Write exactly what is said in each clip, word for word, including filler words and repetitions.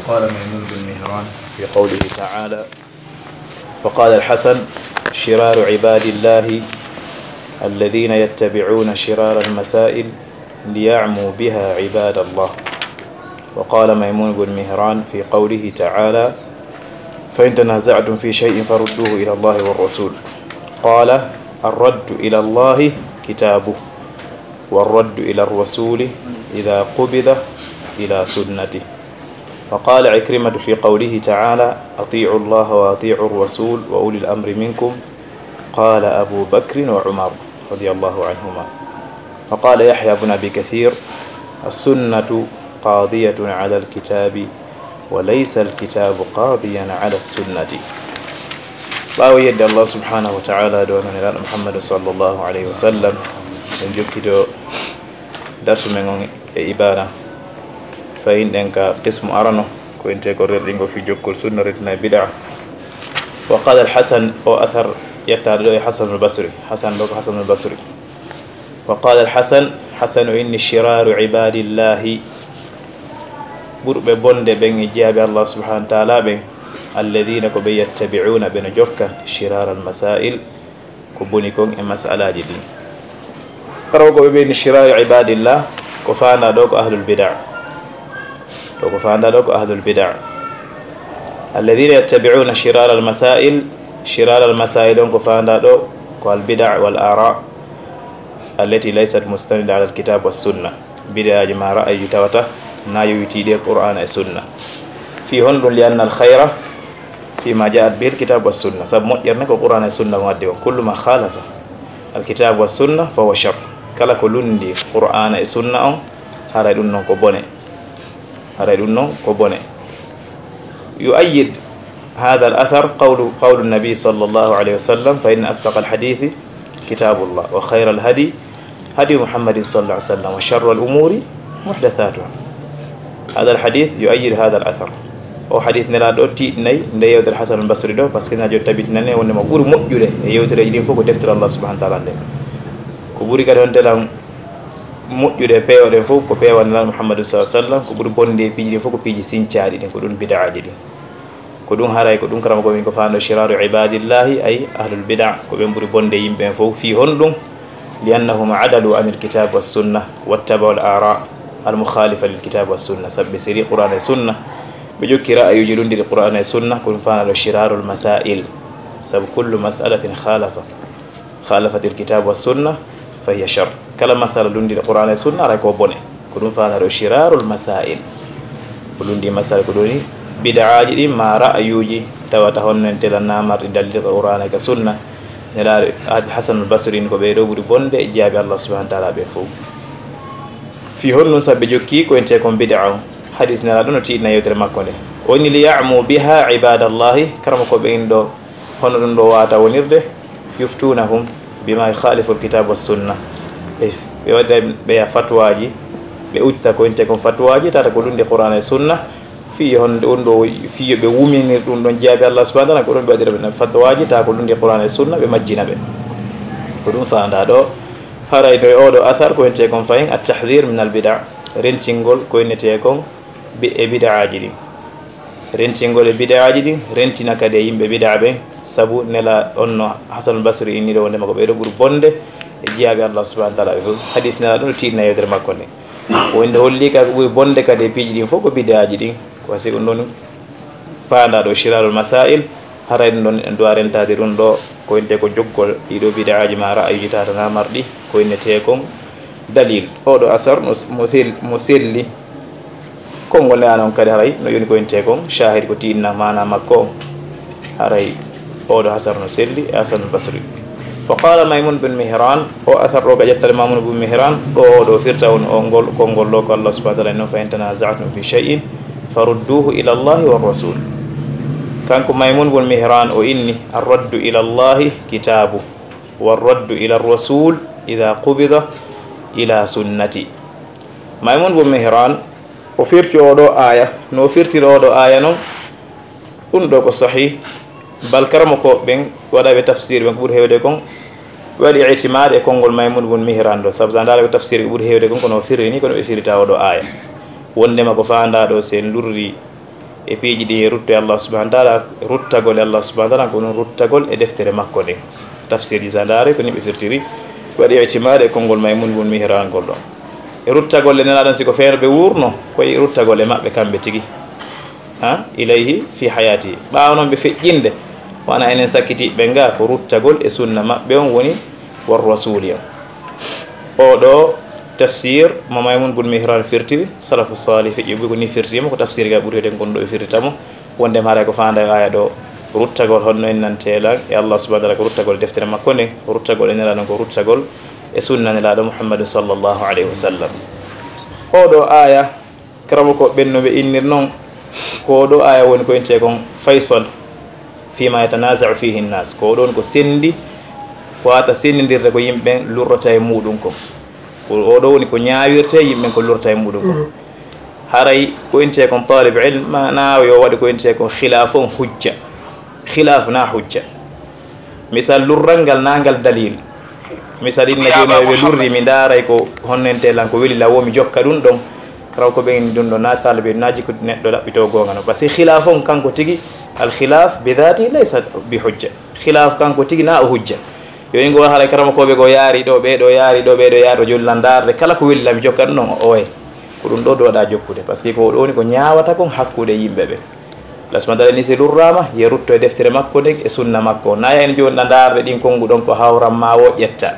قال ميمون بن مهران في قوله تعالى: وقال الحسن: شرار عباد الله الذين يتبعون شرار المسائل ليعموا بها عباد الله. وقال ميمون بن مهران في قوله تعالى: فإن تنازعتم في شيء فردوه إلى الله والرسول. قال: الرد إلى الله كتابه، والرد إلى الرسول إذا قبض إلى سنته. وقال عكرمة في قوله تعالى: أطيعوا الله وأطيعوا الرسول وأولي الأمر منكم، قال أبو بكر وعمر رضي الله عنهما. وقال يحيى بن أبي كثير: السنة قاضية على الكتاب وليس الكتاب قاضيا على السنة. Ɓaawo yedde Allah subhanahu wa ta'ala, ɗo non e Muhammad sallallahu alayhi wa sallam, en jokkito darsu men on e ibada. Fayinɗen ka qismu arano, ko ente ko rerɗingo fi jokkol sunna, retina e bid'a. Wa qala al-Hasan, o athar yettaade ɗo e Hasan al-Basri. Hasan ɗo ko Hasan al-Basri. Wa qala al-Hasan, Hasan o inni: shiraru ibadillahi, ɓurɓe bonde ɓen e jiyaaɓe Allah subhanahu wa ta'ala ɓen, alladhina, ko ɓe, yattabi'una, ɓe no jokka, shirar al-masail, ko boni kon e mas'alaaji ɗin. Karaw ko ɓe ɓeyni shirari ibadillah, ko faanda ɗo ko ahlul bid'a. Ɗo ko faanda ɗo ko ahlul bid'a. Alladhina yattabi'una shirar al-masail, shirar al-masail on ko faanda ɗo ko al-bid'a wal ara allati laysat mustanida ala al-kitab was sunna. Bid'aaji ma ra'ayi tawata na yowitiiɗi e Qur'aana e Sunna. Fii honɗun? Li anna al khayra fii ma ja'at bihi al kitab was sunna. Sabu moƴƴere ne ko Qur'aana e Sunna on addi on. Kullu ma khalafa al kitab was sunna fa huwa shar. Kala ko lundi Qur'aana e Sunna on, haray ɗun non ko bone. Haray ɗun non ko bone. Yu'ayyid hadha al athar qawlu, qawlu nabi sallallahu alayhi wa sallam: fa inna asdaqa al hadithi kitabullah wa khayra al hadi hadi Muhammadin sallallahu alayhi wa sallam, wa sharra al umuri muhdathatuha. Hadha al hadith yu'ayyid hadha al athar. O hadith Nelaaɗo o tiiɗinay nde yewtere Hasan al Basri ɗo, parce que na joni tabitinani wonde mo ɓuri moƴƴude e yewtereeji ɗin fof ko deftere Allah subhanahu wa ta'ala nden. Ko ɓuri kadi on telan moƴƴude e peewa ɗen fof ko peewa Nelaaɗo Muhammadu sallallahu alayhi wa sallam, ko ɓuri bonde e piiji ɗin fof ko piiji sincaaɗi ɗin, ko ɗun bid'aaji ɗin. Ko ɗun haray, ko ɗun karama ko min ko faando shiraru ibadillahi, ay ahlul bid'a, ko ɓen ɓuri bonde yimɓe ɓen fof. Fii honɗun? Li annahum adalu anil kitab was sunna wattaba'u al ara al mukhalifa lil kitab was sunna. Sabu ɓe seri Qur'aana e Sunna, ɓe jokki ra'ayuuji lundiɗi Qur'aana e Sunna, ko ɗun faandaɗo shirarul masail. Sabu kullu mas'alatin khalafa, khalafatil kitab was sunna fa hiya shar. Kala masala lundiɗo Qur'aana e Sunna, aray ko bone. Ko ɗun faandaɗo shirarul masail. Ko lundi masala ko ɗoni bid'aaji ɗin ma ra'ayuuji tawata honno en tela na marɗi dalil ka Qur'aana ka Sunna. Nelaaɗo Hasan al Basri ni ko ɓee ɗo ɓuri bonde e jiyaaɓe Allah subhanahu wa ta'ala ɓen fof. Fii honɗun? Sabu ɓe jokki ko entee kon bid'a on. Hadis Nelaaɗo no tiiɗina yewtere makko nde. O inni: li ya'mu biha ibadallahi, karama ko ɓen ɗo, hono ɗun ɗo wata wonirde, yuftunahum bima yukhalifu alkitab was sunna. Ɓe, ɓe waɗira ɓe ya fatwaaji, ɓe uddita ko entee kon fatwaaji, tata ko lundi Qur'aana e Sunna, fii honde ɗun ɗo, fii yo ɓe wuminir ɗun ɗon jiyaaɓe Allah subhanahu wa ta'ala, ko ɗun ɓe waɗira ɓe fatwaaji, tata ko lundi Qur'aana e Sunna, ɓe majjina ɓe. Ko ɗun faandaa ɗo. Haray ɗo e oo ɗo athar ko entee kon fahin at tahdhir min al bid'a, rentingol ko entee kon bi-, e bid'aaji ɗin. Rentingol e bid'aaji ɗin, rentina kadi e yimɓe bid'a ɓen, sabu Nelaaɗo on no Hasanul Basri inni ɗo wondema ko ɓee ɗo ɓuri bonde e jiyaaɓe Allah subhanahu wa ta'ala ɓe fof. Hadis Nelaaɗo no tiiɗina yewtere makko nde. Wonde holli ka ko ɓuri bonde kadi e piiji ɗin fof ko bid'aaji ɗin. Ko wasi ko ɗun faandaa ɗo shirarul masail, haray ɗun ɗon en duwa rentaade ɗun ɗo, ko entee ko jokkol ɗii ɗo bid'aaji ma ra'ayuuji tata na marɗi ko entee kon dalil. Oo ɗo asar no s-, mo sel-, mo selli. Konngol Nelaaɗo on kadi haray no yoni ko entee kon, shahid ko tiiɗina maana makko on. Haray oo ɗo asar no selli e Hasanul Basri. Wa qala Maymun bin Mihran, o athar ɗo ka ƴettale Maymun bin Mihran, ɗo oo ɗo firta on o ngol, konngol ɗo ko Allah subhanahu wa ta'ala no: fa in tanaza'tum fi shay'in farudduhu ila Allahi wa rasul. Kanko Maymun bin Mihran o inni: ar-raddu ila Allahi kitabu, wa ar-raddu ila ar-rasul idha qubida ila sunnati. Maymun bin Mihran o firti oo ɗo aaya, no o firtiri oo ɗo aaya non, ɗun ɗo ko sahih. Bal karamokooɓe ɓen waɗaaɓe tafsir ɓen ko ɓuri heewde kon, ɓe waɗi itimaad e konngol Maymun bin Mihran ɗo, sabu sa ndaara ko tafsir ko ɓuri heewde kon, kono o firri ni, kono ɓe firita oo ɗo aaya. Wondema ko faandaa ɗo, si en lurri E piiji ɗi e rutto e Allah subhanahu wa taala, ruttagol e Allah subhanahu wa taala, ko ɗum ruttagol e deftere makko nden. Tafsirji sa ndaari ko ni ɓe firtiri, waɗi itimaade e konngol Maymun bun Mihran ngol ɗon. E ruttagol e Nelaaɗo on, si ko feere ɓe wuurno, ko e ruttagol e maɓɓe kamɓe tigi. Ha? Ilayhi fi hayati. Ɓaawo noon ɓe feƴƴinde, wona enen sakkitiiɓe nga, ko ruttagol e sunna maɓɓe on woni war rasuli on. Oo ɗoo tafsir mo Maymun bun Mihran firtiri, salafu salih feƴƴi ɓe ko ni firtiri mo, ko tafsir ga ɓuri heewde kon ɗo ɓe firtita mo, wonde haray ko faanda e aya ɗo, ruttagol honno en nantee lan e Allah subhanahu wa taala, ko ruttagol e deftere makko nden, ko ruttagol e Nelaaɗo, ko ruttagol e sunna Nelaaɗo Muhammadun sallallahu alayhi wa sallam. Oo ɗoo aya, karamo ko ɓen no ɓe innir non, ko oo ɗoo aya woni ko intee kon faysal fima yatanaza'u fihi nnas. Ko oo ɗon ko sendi, ko wata sendindirde ko yimɓe lurrata e muɗum kon. Ko oo ɗoo woni ko ñaawirte yimɓe ko lurrata e muɗum kon. Haray ko intee kon talib ilm, ma na yo waɗi ko intee kon khilaf on hujja. Khilaf na hujja. Misal lurral ngal na ngal dalil. Misal inna jooni ɓe lurri, mi ndaaray ko honno intee lan ko weli lan, wo mi jokka ɗum ɗon. Karaw ko ɓen ɗum ɗo na taalibe na jikku neɗɗo ɗaɓɓito goonga no. Parce que khilaf on kanko tigi, al khilaf bi dhati laysa bi hujja. Khilaf kanko tigi na o hujja. Yo ingo haray karamo ko ɓe go yaari ɗo, ɓe ɗo yaari ɗo, ɓe ɗo yaari ɗo, jollan ndaarde kala ko weli lan mi jokka ɗum ɗon o oye. Ko ɗum ɗo ɗo waɗa jokkude. Parce que ko ɗo woni ko ñaawata kon hakkude yimɓe ɓe. Lasma dala ni si lurraama, ye rutto e deftere makko nden e sunna makko. Na en jooni na ndaarde ɗin konngu ɗon ko hawran ma wo ƴetta.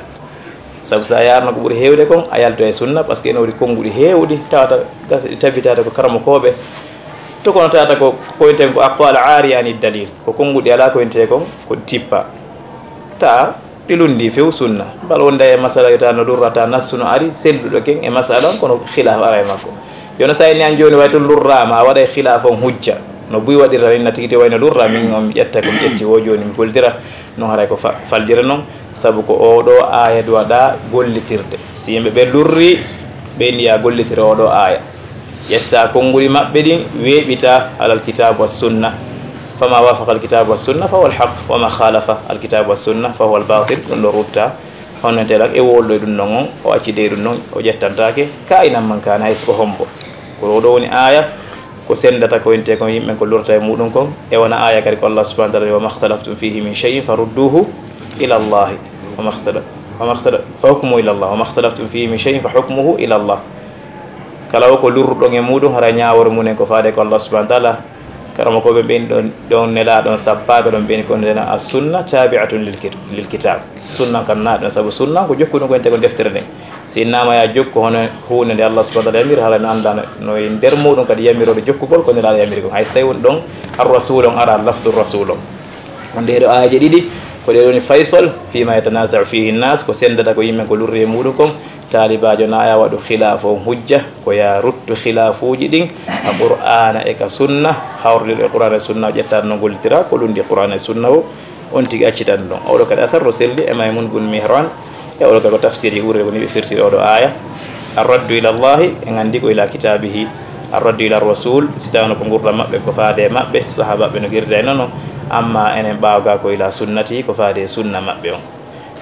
Sabu sa yaarno ko ɓuri heewde kon, a yalto e sunna, parce que ene woodi konnguɗi heewɗi, tawata gas-, ɗi tabitata ko karamokooɓe. To kono tawata ko koynten ko aqwal aari ani dalil. Ko konnguɗi alaa koynte kon, ko tippa. Ta ɗi lunndi few sunna. Mbal wonde e masala yo ta no lurrata nassu no ari, selluɗo ken e masala on, kono khilaf ara e makko. Jooni sa inni an jooni way to lurraama, a waɗay khilaf on hujja. No buy waɗirta ni na tigi te way no lurra, min on mi ƴetta ko mi ƴetti wo jooni mi gollira, non haray ko fa-, faldira non. Sabu ko oo ɗoo aya duwaɗa gollitirde. Si yimɓe ɓe lurri, ɓe ndiya gollitira oo ɗoo aya. Ƴetta konnguɗi maɓɓe ɗin, weeɓita alal kitabu was sunna. Fama wafaqa al kitabu was sunna fa huwa al haq, wa ma khalafa al kitabu was sunna fa huwa al batil, ɗum ɗo rutta. Honno nte lan e wolɗo e ɗum ɗon on, o acci dey ɗum ɗon, o ƴettantaake, ka inan man kaana hay so ko hombo. Ko ɗoo ɗoo woni aya, ko sendata ko intee kon yimɓe ko lurta e muɗum kon. E wona aya kadi ko Allah subhanahu wa taala, wa makhtalaftum fihi min shay'in farudduhu ila Allahi. Wa makhtala-, wa makhtala-, fa hukmuhu ila Allah. Wa makhtalaftum fihi min shay'in fa hukmuhu ila Allah. Kala o ko lurruɗon e muɗum, hara ñaawore mumen ko faade ko Allah subhanahu wa taala. Karamokooɓe ɓen ɗon, ɗon nelaaɗon sappaaɓe ɗon ɓen ko ndena as-sunna tabi'atun lil kit-, lil kitab. Sunna kan na ɗon, sabu sunna ko jokkuɗum ko ente ko deftere nden. Si innama ya jokku hono huunde nde Allah subhanahu wa taala yamiri, hara no annda no, no e nder muɗum kadi yamirode jokkugol ko nelaaɗo yamiri kon. Hay so tawi woni ɗon ar-rasul on ara, lafdu rasul on. On ɗee ɗo aayeeje ɗiɗi, ko ɗee ɗoni faysal, fima yatanaza'u fihi nnas, ko sendata ko yimɓe ko lurri e muɗum kon. Taalibaajo na aya waɗu khilaafu on hujja, ko ya ruttu khilaafuuji ɗin ka Qur'aana e ka sunna, hawrondiro e Qur'aana e sunna, o ƴetta no gollitira ko lundi Qur'aana e sunna o, on tigi accitan ɗum. Oɗo kadi asar ro selli e Maymun bun Mihran, e oɗo kadi ko tafsiri ɓurɗe ko ni ɓe firtiri oɗo aya. Ar-raddu ila Allahi, en anndi ko ila kitabihi. Ar-raddu ila Rasul, si tawno ko ngurɗam maɓɓe, ko faade e maɓɓe, sahaabaaɓe no girda e nono, amma enen ɓaawo ga ko ila sunnati, ko faade e sunna maɓɓe on.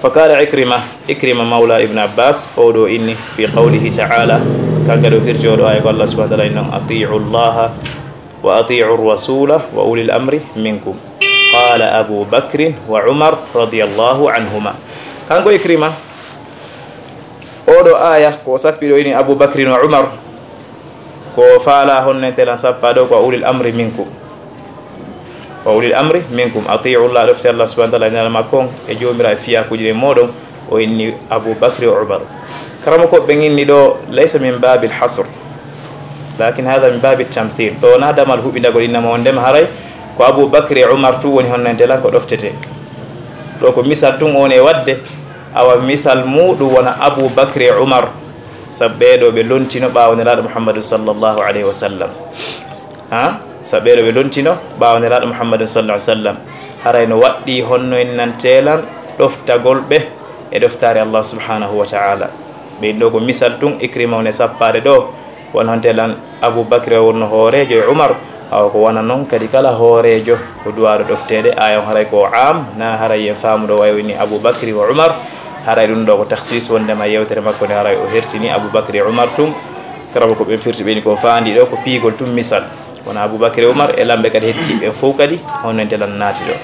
Fa qala Ikrima, Ikrima mawla Ibn Abbas, o ɗo inni, fi qawlihi ta'ala, kanka ɗo firti oɗo aya ko Allah subhanahu wa ta'ala innon, ati'u Allaha wa ati'u Rasula wa ulil amri minkum. Qala Abu Bakrin wa Umar radiyallahu anhuma. Kanko Ikrima, oɗo aya ko sappi ɗo ini Abu Bakrin wa Umar, ko faala honno en telan sappa ɗo ko ulil amri minkum. Wa ulil amri minkum, ati'u Allah, ɗofte Allah subhanahu wa ta'ala, e nana makko on, e jomira e fiyakuji ɗe moɗon, o inni Abu Bakri wa Umar. Karamo ko ɓen inni ɗo, laysa min babil hasr, lakin hadha min babil tamthil. Ɗo na damal huɓindagol innama on ndema haray, ko Abu Bakri e Umar tu woni honno en telan ko ɗoftete. Ɗo ko misal tun on e wadde, awa misal muɗum wona Abu Bakri e Umar, sabu ɓeɗo ɓe lontino ɓawo Nelaɗo Muhammadu sallallahu alayhi wa sallam. Ha? Sabu ɓeɗo ɓe lontino ɓawo Nelaɗo Muhammadun sallallahu alaihi wasallam. Haray no waɗɗi honno en nan telan ɗoftagol ɓe e ɗoftaare Allah subhanahu wa ta'ala. Ɓe ɗo ko misal tun, Ikrima woni sappaade ɗo, won hon telan Abu Bakri o wonno hooreejo e Umar, awa ko wona non kadi kala hooreejo ko duwaɗo ɗofteede, aya on haray ko am, na haray en faamuɗo wayo ni Abu Bakri wa Umar, haray ɗum ɗo ko takhsis wondema yewtere makko nde haray o hertini Abu Bakri e Umar tun. Karama ko ɓen firti ɓeni ko faandi ɗo ko piigol tun misal. Kono Abubakar e Umar e lamɓe kadi hetti ɓen fof kadi, honno ente lan naati ɗo.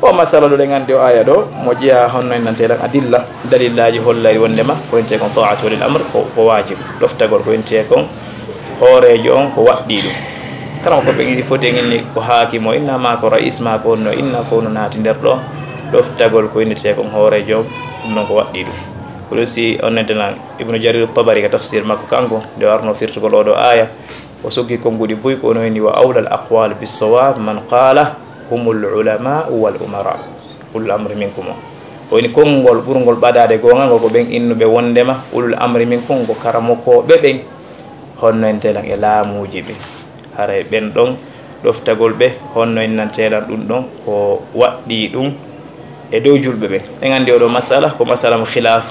O masala ɗo ɗen anndi o aya ɗo, mo jeyaa honno en nante lan adilla, dalillaaji hollay wondema ko ente kon ta'atu walil amr ko, ko waajib. Ɗoftagol ko ente kon hooreejo on ko waɗɗii ɗum. Kala ko ɓen iɗi foti en inni ko haakimo inna ma ko rais ma ko honno inna fof no naati nder ɗo. Ɗoftagol ko innete kon hooreejo on, ɗum ɗon ko waɗɗii ɗum. Ko ɗum si on nante lan Ibnu Jarir Tabari ka tafsir makko kanko, nde warno firtugol oo ɗoo aya, o soggi konnguɗi buy ko ono inni: "Wa awla al aqwal bis sawab man qala humul ulama wal umara ulul amri minkum." O inni konngol ɓurngol ɓadaade goonga ngol ko ɓen innuɓe wondema ulul amri minkum ko karamokooɓe ɓen, honno en telan e laamuuji ɓe. Haray ɓen ɗon ɗoftagol ɓe, honno en nan telan ɗum ɗon ko waɗɗii ɗum e dow julɓe ɓen. En anndi oɗo masala ko masala mo khilaf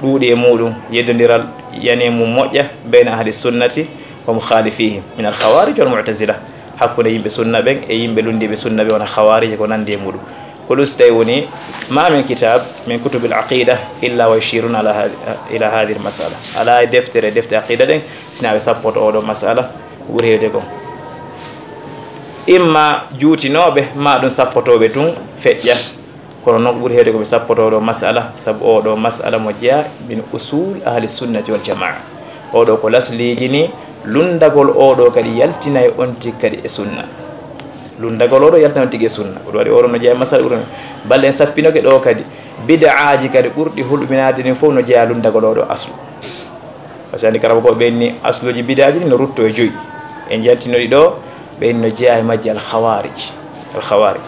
ɗuuɗi e muɗum, yeddondiral yani e mum moƴƴa bayna ahli sunnati wa mukhalifihim min al khawarij wal mu'tazila, hakkunde yimɓe sunna ɓen e yimɓe lunndiiɓe sunna ɓe wona khawarij e ko nanndi e muɗum. Ko ɗum si tawi woni ma min kitab min kutubil aqida illa wa yushiruna ala hadi, ila hadhihi al masala. Ala e deftere, defte aqida ɗen, sina ɓe sappoto oɗo masala ɓuri heewde kon. Imma juutinooɓe, ma ɗum sappotooɓe tun feƴƴa. Kono noon ko ɓuri heewde ko ɓe sappotoo ɗo masala, sabu oo ɗo masala mo jeyaa min usul ahli sunnati wal jamaa. Oo ɗo ko lasliiji ni, lunndagol oo ɗo kadi yaltinay on tigi kadi e sunna. Lunndagol oo ɗo yaltinay on tigi e sunna. Ko ɗum waɗi oo ɗo no jeyaa e masala ɓuri. Balle en sappinoke ɗo kadi, bid'aaji kadi ɓurɗi hulɓinaade ɗin fof no jeyaa lunndagol oo ɗo aslu. Par ce que anndi karaba ko ɓe inni asluuji bid'aaji ɗin no rutto e joyi. En jantinoɗi ɗo, ɓe inni no jeyaa e majji al khawarij. Al khawarij.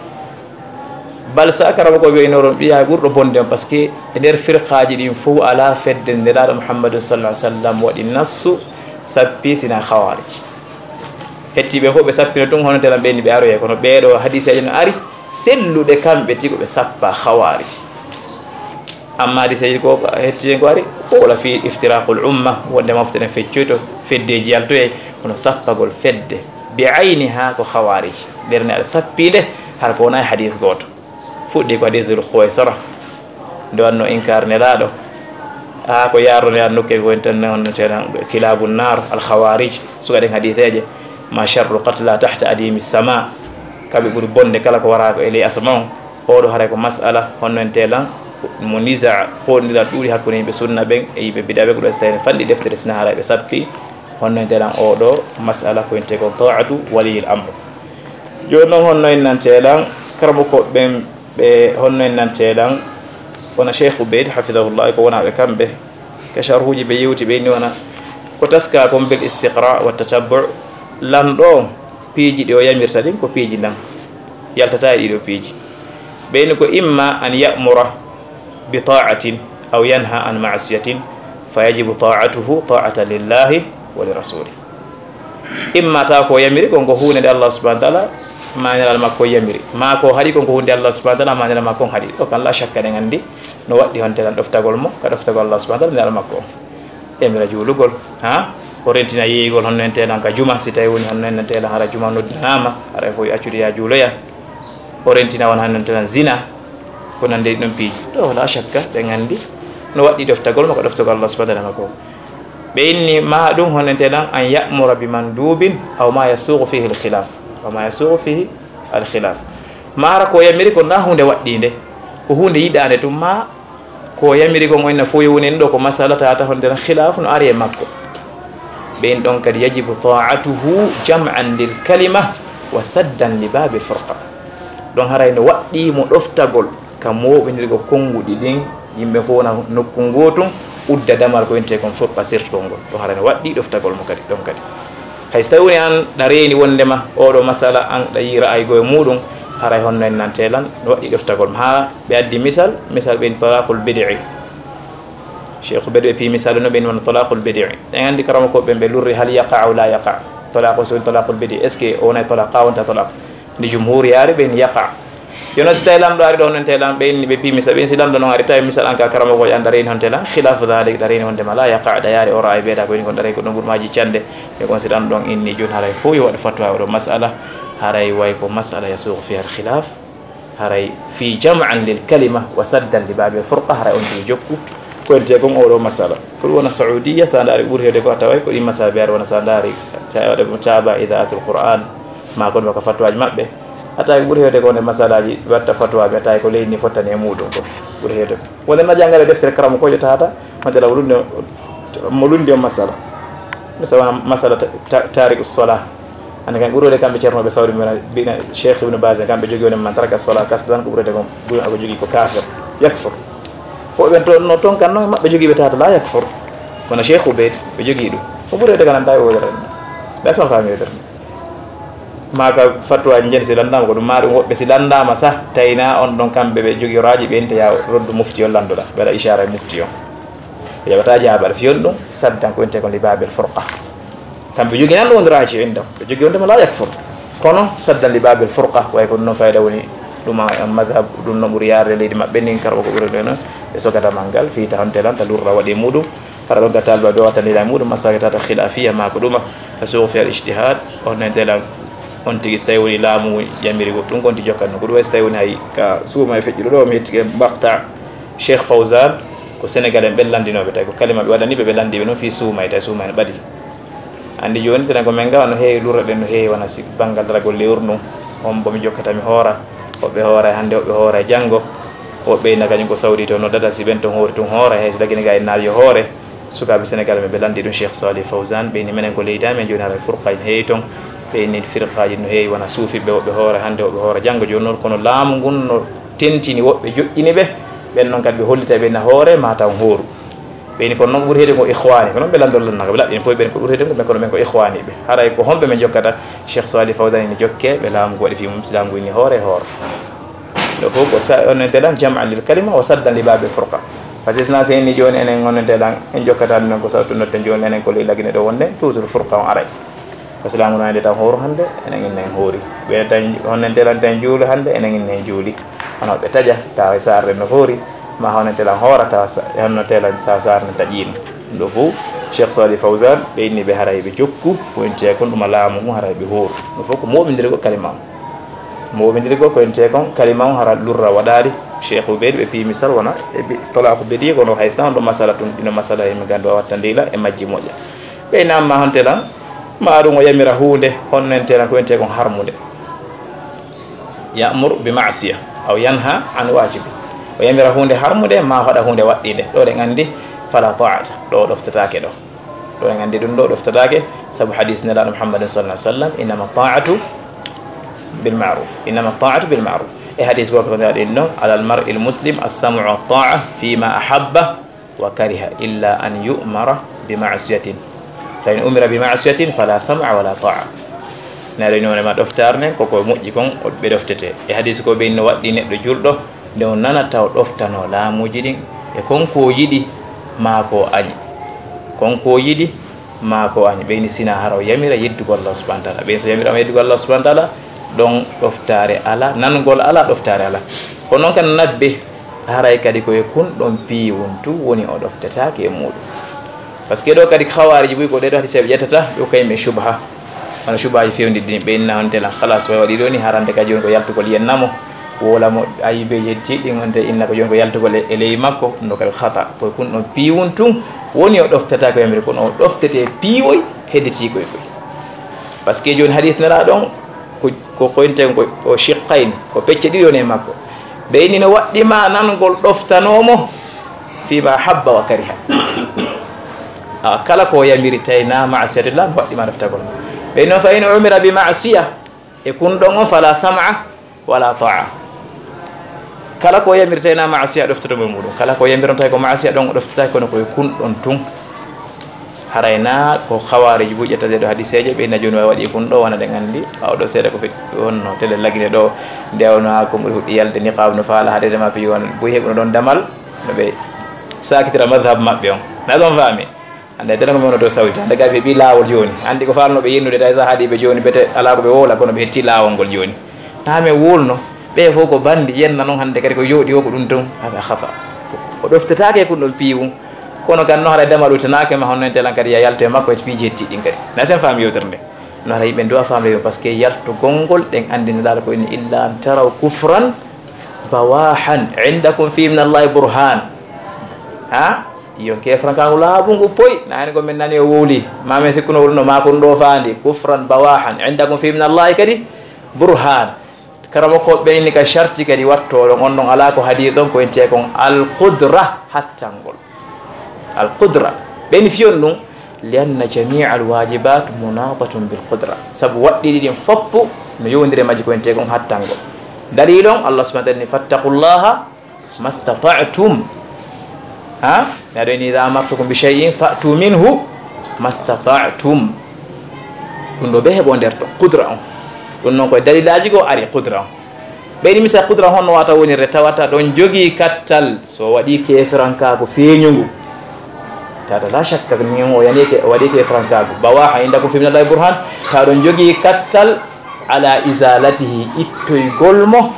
Bal sa karaba ko ɓe innoron ɓiya ɓurɗo bonde on, par ce que e nder firqaaji ɗin fof alaa fedde Nelaaɗo Muhammadun sallallahu alaihi wasallam waɗi nassu sappi sina khawarij. Hettiiɓe fof ɓe sappino tun hono telan ɓe inni ɓe aroye, kono ɓeeɗo hadiseeje no ari selluɗe kamɓe tigi ɓe sappa khawarij. Amma hadiseeji ko hetti hen ko ari, ko wala fi iftiraqul umma, wonde mofte ɗen feccoyto, feddeji yaltoyay, kono sappagol fedde bi ayniha ko khawarij. Ɓernde aɗa sappi nde, hara ko wona e hadis gooto. Fuɗɗi ko hadis Dhul Khuwaysara, nde wanno inkar Nelaaɗo. Haa ko yarno Nelaaɗo nokke ko en tan, on tan kilabu nar, al khawarij, suka ɗen hadiseeje, ma sharru qatla tahta adimi sama, kamɓe ɓuri bonde kala ko wara ko e ley asama on. Oɗo haray ko masala honno en telan mo nisa, hoɗondiral ɗuuɗi hakkunde yimɓe sunna ɓen e yimɓe bid'a ɓen, ko ɗo so tawi en fanɗi deftere sina haray ɓe sappi, honno en telan oɗo masala ko en te kon ta'atu waliyil amr. Jooni noon honno en nan telan karamoko ɓen ɓe, honno en nan telan wona Cheikh Ubayd hafidahullah ko wonaaɓe kamɓe ka sharhuuji ɓe yewti ɓe inni wona ko taska kon bil istiqra wa tatabbu, lanɗo on piiji ɗi o yamirta ɗin ko piiji nan yaltata e ɗiɗo piiji. Ɓeyni ko imma an ya'mura bi ta'atin aw yanha an ma'siyatin fa yajibu ta'atuhu ta'atan lillahi wa li rasuli. Imma tawa ko yamiri kon ko huunde nde Allah subhanahu wa ta'ala ma nelal makko yamiri, ma ko haɗi kon ko huunde Allah subhanahu wa ta'ala ma nelal makko on haɗi. Ɗo kan la shakka ɗen anndi no waɗɗi honte lan ɗoftagol mo ka ɗoftagol Allah subhanahu wa ta'ala nelal makko on. Yamira juulugol, ha? O rentina yeeyugol honno en telan ka juma, si tawi woni honno en telan hara juma noddanaama, hara fof accude ya juuloya. O rentina won honno en telan zina, ko nande ɗum piiji. Ɗo la shakka ɗen anndi no waɗɗi ɗoftagol mo ko ɗoftagol Allah subhanahu wa ta'ala ko. Ɓe inni ma ɗum honno en telan an ya'mura bi mandubin aw ma yasughu fihi al khilaf. Aw ma yasughu fihi al khilaf. Mara ko yamiri ko na hunde waɗɗinde, ko hunde yiɗande tun ma ko yamiri kon o inna fof yo woni en ɗo ko masala tata honde tan khilafu no ari e makko. Ɓen ɗon kadi yajibu ta'atuhu jam'an lil kalima wa saddan li babil furqa. Ɗon haray no waɗɗi mo ɗoftagol ka moɓindirgo konnguɗi ɗin, yimɓe fof na nokku ngotun, udda damal ko winte kon furqa sirtugol ngol. Ɗon haray no waɗɗi ɗoftagol mo kadi ɗon kadi. Hay so tawi woni an ɗa reeni wondema oɗo masala an ɗa yi ra'ayi go e muɗum, haray honno en nante lan no waɗɗi ɗoftagol mo. Ha ɓe addi misal, misal ɓen talaqul bid'i. Cheikh ɓe ɗo e pi misal no ɓen wona talaqul bid'i. En andi karama ko ɓen ɓe lurri hal yaqa aw la yaqa. Talaqu so woni talaqul bid'i. Est-ce que o wona talaqa, wonta talaq? Nde jumhur yaari ɓen yaqa. Jono si tawi lamɗo ari ɗo non te lan ɓe inni ɓe pi misal ɓen si lamɗo non ari tawi misal an ka karama ko an ɗa reeni honte lan khilafu dhalik ɗa reeni honte ma la yaqa ɗa yaari o ra'ayi ɓeeɗa ko woni kon ɗa reeni ko ɗon gurmaji cande. E kon si ɗan ɗon inni joni haray fof yo waɗ fatwa oɗo masala. Haray way ko masala yasuqu fiha al khilaf. Haray fi jam'an lil kalima wa saddan li babil furqa, haray on tigi jokku Ko ente kon oɗo masala. Ko ɗum wona Saudiya, sa ndaari ɓuri heewde ko a taway ko ɗi masala ɓe aɗa wona sa ndaari, sa waɗa mo taaba Idaatul Qur'an, ma kon waka fatwaaji maɓɓe. A tawi ko ɓuri heewde ko nde masalaaji watta fatwaaji, a tawi ko leydi ndi fottani e muɗum ko ɓuri heewde ko. Wonde na janngal e deftere karamo ko ƴettata, wonde law lundi, mo lundi o masala. Misal wona masala ta-, ta-, taariku sola. Ande kan ɓuri wonde kamɓe ceernooɓe Sawdi mbina, mbina Cheikh Ibn Baz, kamɓe jogii wonde man taraka sola kasdan ko ɓuri wonde ko, ɓuri ko jogii ko kafir, yakfur. Ko ɓen to, no ton kan noon maɓɓe jogii ɓe tata la yakfur. Kono Cheikh Ubeyd ɓe jogii ɗum. Ko ɓuri wonde kan anta e wodere. Ɓe son faami wodere. Ma ka fatwa njen si landama ko ɗum ma ɗum woɓɓe si landama sa tayna on ɗon kamɓe ɓe jogii raji ɓe ente ya roddu mufti on landoɗa. Ɓe waɗa ishara e mufti on. Ɓe jaɓata jaabaɗo fiyon ɗum, saddan ko wiyetee kon li babil furqa. Kamɓe jogi nan ɗum wonde raaji indam. Ɓe jogi wonde ma la yakfur. Kono saddan li babil furqa, way ko ɗum noon fayda woni ɗum a, a madhab, ɗum no ɓuri yaarde leydi maɓɓe ndin, karɓo ko ɓuri ɗum noon. Ɓe sogata man ngal, fii ta honte lan, ta lurra waɗi muɗum. Hara ɗon ka taliba ɓe wattani la muɗum, masala tata khilafiya ma ko ɗuma. Ta suuq fi al ijtihad, on nen telan, on tigi so tawi woni laamu yamiri goɗɗum, kon ti jokkat no. Ko ɗum way so tawi woni hay ka suuma e feƴƴuɗo ɗo, mi hettike maqta Cheikh Fawzan, ko Sénégal en ɓen lanndinooɓe, tawi ko kalima ɓe waɗani ɓe, ɓe lanndi ɓe noon fii suumay, tawi suumay no ɓadi. Anndi jooni, tenen ko men ngawa no heewi lurra ɗen, no heewi wona si banngal daragol lewru ndun, hombo mi jokkata mi hoora, woɓɓe hoora e hannde, woɓɓe hoora e janngo, woɓɓe ina kañum ko Sawdi to noddata, si ɓen ton hoori tun hoora, hay si lagine ga en naali yo hoore. Sukaaɓe Sénégal men ɓe lanndi ɗum Cheikh Salih Fawzan, ɓe inni menen ko leydi amen, jooni haray furqa ina heewi ton, ɓe inni firqaaji no heewi wona suufiɓɓe, woɓɓe hoora hannde, woɓɓe hoora janngo, jooni noon kono laamu ngun no tentini woɓɓe joƴƴini ɓe, ɓen noon kadi ɓe hollita ɓe na hoore ma taw hooru. Ɓe ni kono noon ko ɓuri heede ko ikhwani, ko noon ɓe lanndor lannaka, ɓe laɓɓini poy ɓen ko ɓuri heede ko ɓe kono ɓen ko ikhwani ɓe. Haray ko homɓe men jokkata? Cheikh Salih Fawzan ni jokke ɓe laamu ko waɗi fii mum, si laamu ngu inni hoore hoore. Ɗo fof ko sa-, on ente lan jam'an lil kalima wa saddan li babil furqa. Par ce que sina se inni jooni enen on ente lan en jokkata ɗum ko sawtu notten jooni enen ko ley lagine ɗo wonde toujours furqa on aray. Parce que laamu no ande tan hooru hannde, enen inna en hoori. Ɓe tan, honnen telan tan juulu hannde, enen inna en juuli. Hono ɓe taƴa, tawa e saarde no hoori, ma honnen telan hoora, tawa sa-, honno telan sa saarde taƴiino. Ɗum ɗo fof, Cheikh Salih Fawzan, ɓe inni ɓe haray ɓe jokku, ko en tee kon ɗuma laamu ngu haray ɓe hooru. Ɗum fof ko moɓindiri ko kalima on. Moɓindiri ko, ko en tee kon kalima on hara lurra waɗaali. Cheikh Ubeyd ɓe piyi misal wona, e bi-, talaaku bediye, kono hay sinno on ɗo masala tun, ɗino masala e mi ganndo a watta ndila e majji moƴƴa. Ɓe namma honte lan, ma ɗum o yamira huunde, honno en telan ko wiyetee kon harmunde. Ya'mur bi ma'siya, aw yanha an wajibi. O yamira huunde harmunde, ma o haɗa huunde waɗɗinde. Ɗo ɗen anndi, fala ta'ata, ɗo o ɗoftataake ɗo. Ɗo ɗen anndi ɗum ɗo o ɗoftataake, sabu hadis Nelaaɗo Muhammadin sallallahu alaihi wasallam, innama ta'atu bil ma'ruf. Innama ta'atu bil ma'ruf. E hadis goo ko ɗaɗi non, alal mar'il muslim as-sam'u wa ta'a fima ahabba wa kariha illa an yu'mara bi ma'siyatin. Fa in umira bi ma'siyatin fala sam'a wala ta'a. Neɗɗo ina wonema ɗoftaare nden, koko moƴƴi kon, o ɓe ɗoftete. E hadis ko ɓe no waɗɗi neɗɗo julɗo, nde o nanata o ɗoftano laamuuji ɗin, e kon ko o yiɗi, maa ko o añi. Kon ko o yiɗi, maa ko o añi. Ɓe ini sina hara o yamira yeddugol Allah subhanahu wa ta'ala. Ɓen so yamira o yeddugol Allah subhanahu wa ta'ala, ɗon ɗoftaare ala, nangol ala, ɗoftaare ala. Ko non kan nabbe, haray kadi ko e kun ɗon piiwun tun woni o ɗoftataake e muuɗum. Parce que ɗo kadi ko hawaariji buy ko ɗee ɗo hadi seeɓe ƴettata, ɓe ko kayme shubha. Hono shubhaaji fewndiɗi ɗin, ɓe inna honte lan, khalas, way waɗi ɗo ni, harande ka jooni ko yaltugol yen namo, wowla mo ayibeeji heddiiɗi ɗin, honte inna ko jooni ko yaltugol e, e ley makko, ɗum ɗo kadi khata. Ko e kun ɗon piiwun tun woni o ɗoftata ko yamiri, kono o ɗoftete piiwoy hedditii koy koy. Parce que jooni hadith Nelaaɗo on, ko, ko koynte ko o shiqqayn, ko pecce ɗiɗi woni e makko. Ɓe inni no waɗɗi ma nangol ɗoftanoo mo, fima habba wa kariha. Awa, kala ko yamiri tawi na ma'siyatullah, no waɗɗi ma ɗoftagol. Ɓe no fa in umira bi ma'siya, e kun ɗon on fala sam'a wala ta'a. Kala ko yamiri tawi na ma'siya ɗoftoto mo e muɗum. Kala ko yamiri on tawi ko ma'siya ɗon o ɗoftata kono ko e kun ɗon tun. Haray na ko khawarij buy ƴetta ɗee ɗo hadiseeje, ɓe na jooni wawi waɗi kun ɗo wona ɗen anndi. Ɓaawo ɗo seeɗa ko feƴƴi wonno tele lagine ɗo, nde wonno haa ko ɓuri huɗɗi yalde niqab no faala haade ma piyi won buy heɓuno ɗon damal. No ɓe sakitira madhab maɓɓe on. Na ɗon faami? Hannde dena ko mi wona dow sawti. Hannde gaa ɓe ɓi laawol jooni. Anndi ko faalnooɓe yennude tawi sa haadi ɓe jooni, bete alaa ko ɓe wowla, kono ɓe hetti laawol ngol jooni. Na men wulno, ɓe fof ko banndi, yenna noon hannde kadi ko yooɗi o ko ɗum tun. Hada khata. O ɗoftataake e kun ɗon piiwun. Kono kan no haray damal utanaake ma, honno en telan kadi ya yalto e makko e piiji hetti ɗin kadi. Na sen faami yewtere nde. No haray yimɓe nduwa faamde yo, parce que yaltugol ngol ɗen anndi Nelaaɗo ko inni, illa an taraw kufran bawahan indakum fi min Allahi burhan. Ha? Yon kefrankangu laaɓungu poy, na hen ko min nani o wowli. Ma min sikkuno wulno ma kun ɗo faandi. Kufran bawahan. Indakum fi min Allahi kadi burhan. Karamo ko ɓeyni ka sharti kadi wattoɗon on ɗon ala ko hadi ɗon ko ente kon al qudra hattangol. Al qudra. Ɓeyni fiyon ɗum. Li anna jamia al wajibat munatatun bil qudra. Sabu waɗɗiɗi ɗin foppu no yowndire majji ko ente kon hattangol. Dalilon Allah subhanahu wa ta'ala ni fattaqullaha mastata'tum. Ha? Mi aɗo ini idha amartukum bi shay'in fa'tu minhu mastata'tum. Ɗum ɗo ɓe heɓo nder to qudra on. Ɗum noon koye dalilaji goo ari qudra on. Ɓeyni misal qudra honno wata wonirde tawata ɗon jogii kattal so waɗi keferankaaku feeñungu. Tata la shakka min o yani ke o waɗi keferankaaku bawaha indakum fi minallahi burhan. Tawa ɗon jogii kattal ala izalatihi ittoygol mo.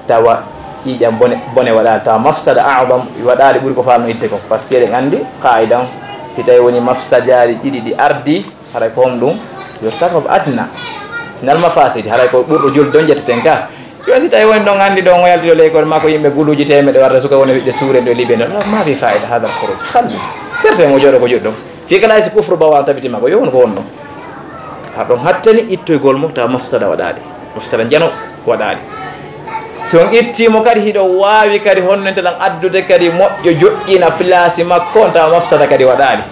Tawa ƴiiƴam bone bone waɗaali tawa mafsada a'zam waɗaali ɓuri ko falno itte kon. Parce que eɗen anndi qaidan si tawi woni mafsadaaji ɗiɗi ɗi ardi haray ko hom ɗum yurtakab adna nal mafasidi haray ko ɓurɗo julde on ƴetteten ka. Yo si tawi woni ɗon anndi ɗo ngo yalti ɗo leykol makko yimɓe guluuji temeɗe warde suka woni wiɗde suure ɗo libe ɗo ma fi faida hadal khuruj halli. Perte mo jooɗo ko juɗɗo fi kala si kufru bawa on tabitima ko yo won ko wonno. Haɗon hattani ittoygol mo tawa mafsada waɗaali. Mafsada njano waɗaali. Si on ittii mo kadi hiɗo waawi kadi honno nte lan addude kadi moƴƴo joƴƴina place makko on tawa mafsada kadi waɗaali.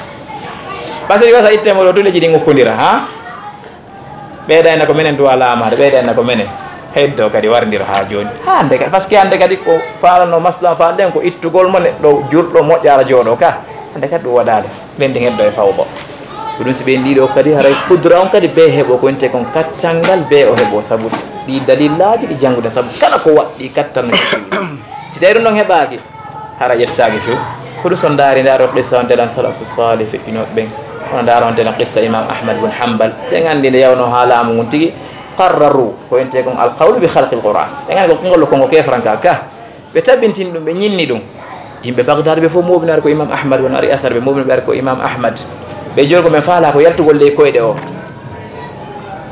Parce que wasa itte mo ɗo duleji ɗin ukkondira ha. Ɓeydayna ko menen duwa laamaade ɓeydayna ko menen. Heddo kadi warndiro ha jooni ha hande kadi parce que hande kadi ko faalano maslan faal ɗen ko ittugol mo neɗɗo jurɗo moƴƴara jooɗo ka. Hande kadi ɗum waɗaali. Ɓen ɗin heddo e fawba. Ko ɗum si ɓen ɗiɗo kadi haray kudra on kadi be heɓo ko winte kon kaccangal be o heɓo sabu ɗi dalillaaji ɗi jannguɗen sabu kala ko waɗɗi kattan no feewi. Si tawi ɗum ɗon heɓaaki hara ƴettaaki few. Ko ɗum so ndaari ndaaro qissa on telan salafu salih feƴƴinooɓe ɓen. Kono ndaaro on telan qissa imam ahmad bun hambal ɓen anndi nde yawno haa laamu ngun tigi qarraru ko winte kon alqawlu bi khalqi alquran. Ɓen anndi ko ngol kongo kefranka ka. Ɓe tabintini ɗum ɓe ñinni ɗum. Yimɓe bagdad ɓe fof moɓinaari ko imam ahmad won ari asar ɓe moɓina ɓe ari ko imam ahmad. Ɓe joni ko min faala ko yaltugol ley koyɗe o.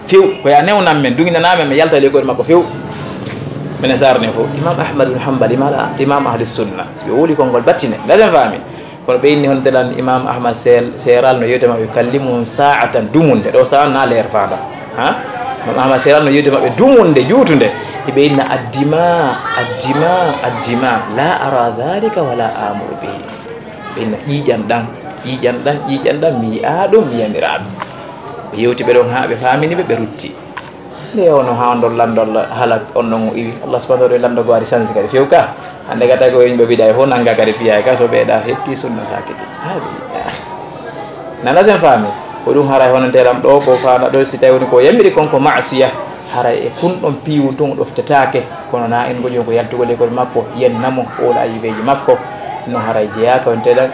Few ko ya newnan men duginanamen mi yalta ley koyɗe makko few. Minen sarne fof imam ahmad bin hambal imam ahli sunna si ɓe wuli konngol battine ndasen faami. Kono ɓe inni honde lan imam ahmad seeral no yewte maɓɓe kallimuhum saatan dumunde ɗo saan na leer faada. Ha? Imam ahmad seeral no yewte maɓɓe dumunde juutunde. Hiɓe inna addima addima addima la ara dhalika wala amuru bihi. Ɓe inna ƴiiƴan ɗan ƴiiƴan ɗan ƴiiƴan ɗan mi yi'a ɗum mi yamira ɗum. Ɓe yewti ɓe ɗon ha ɓe famini ɓe ɓe rutti. Nde yewno ha ndol landol halak on ɗon o iwi allah subhanahu wa taala lando go ari sansi kadi few ka. Hande gata ko yimɓe biɗa e fof nanga kadi piya ka so ɓeɗa hetti sunna sakiti. Nana sen faami. Ko ɗum haray honanteram ɗo ko fana ɗo si tawi woni ko yamiri kon ko masiya. Haray e kun ɗon piwu tun ɗoftetaake. Kono na en goƴo ko yaltugol e kol makko yennamo ola ayibeji makko. No haray jeya ko en teɗa.